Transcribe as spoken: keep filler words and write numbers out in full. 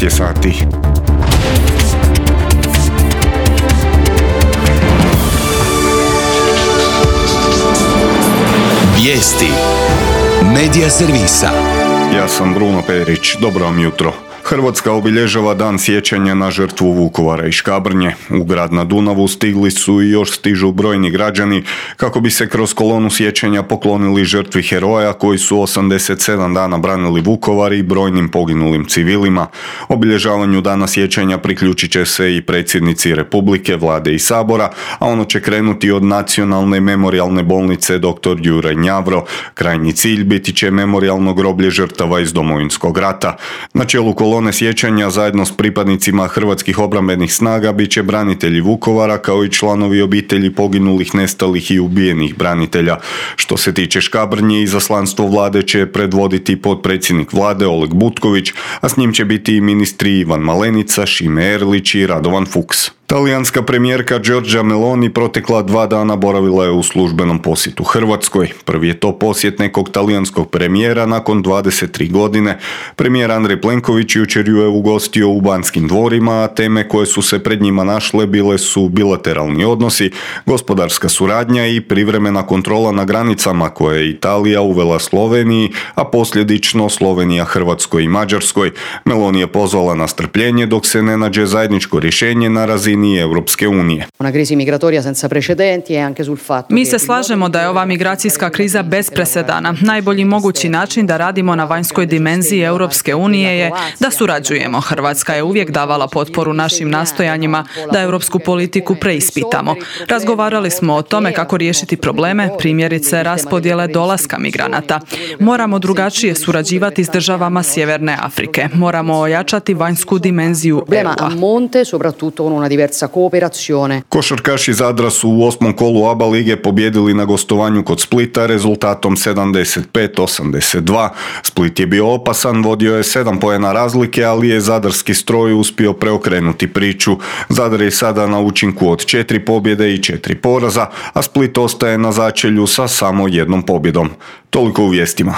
devet je sati. Vijesti Medija servisa. Ja sam Bruno Perić, dobro vam jutro. Hrvatska obilježava dan sjećanja na žrtvu Vukovara i Škabrnje. U grad na Dunavu stigli su i još stižu brojni građani kako bi se kroz kolonu sjećanja poklonili žrtvi heroja koji su osamdeset sedam dana branili Vukovar i brojnim poginulim civilima. Obilježavanju dana sjećanja priključit će se i predsjednici Republike, Vlade i Sabora, a ono će krenuti od Nacionalne memorijalne bolnice doktor Juraj Njavro. Krajnji cilj biti će memorijalno groblje žrtava iz Domovinskog rata. Na čelu kolone sjećanja zajedno s pripadnicima hrvatskih obrambenih snaga bit će branitelji Vukovara kao i članovi obitelji poginulih, nestalih i ubijenih branitelja. Što se tiče Škabrnje, izaslanstvo Vlade će predvoditi potpredsjednik Vlade Oleg Butković, a s njim će biti i ministri Ivan Malenica, Šime Erlić i Radovan Fuchs. Talijanska premijerka Giorgia Meloni protekla dva dana boravila je u službenom posjetu Hrvatskoj. Prvi je to posjet nekog talijanskog premijera nakon dvadeset tri godine. Premijer Andrej Plenković jučer ju je ugostio u Banskim dvorima, a teme koje su se pred njima našle bile su bilateralni odnosi, gospodarska suradnja i privremena kontrola na granicama koje je Italija uvela Sloveniji, a posljedično Slovenija Hrvatskoj i Mađarskoj. Meloni je pozvala na strpljenje dok se ne nađe zajedničko rješenje na razini Europske unije. Mi se slažemo da je ova migracijska kriza bez presedana. Najbolji mogući način da radimo na vanjskoj dimenziji Europske unije je da surađujemo. Hrvatska je uvijek davala potporu našim nastojanjima da europsku politiku preispitamo. Razgovarali smo o tome kako riješiti probleme, primjerice raspodjele dolaska migranata. Moramo drugačije surađivati s državama Sjeverne Afrike. Moramo ojačati vanjsku dimenziju E U-a. Košarkaši Zadra su u osmom kolu A B A lige pobjedili na gostovanju kod Splita rezultatom sedamdeset pet osamdeset dva. Split je bio opasan, vodio je sedam poena razlike, ali je zadarski stroj uspio preokrenuti priču. Zadar je sada na učinku od četiri pobjede i četiri poraza, a Split ostaje na začelju sa samo jednom pobjedom. Toliko u vijestima.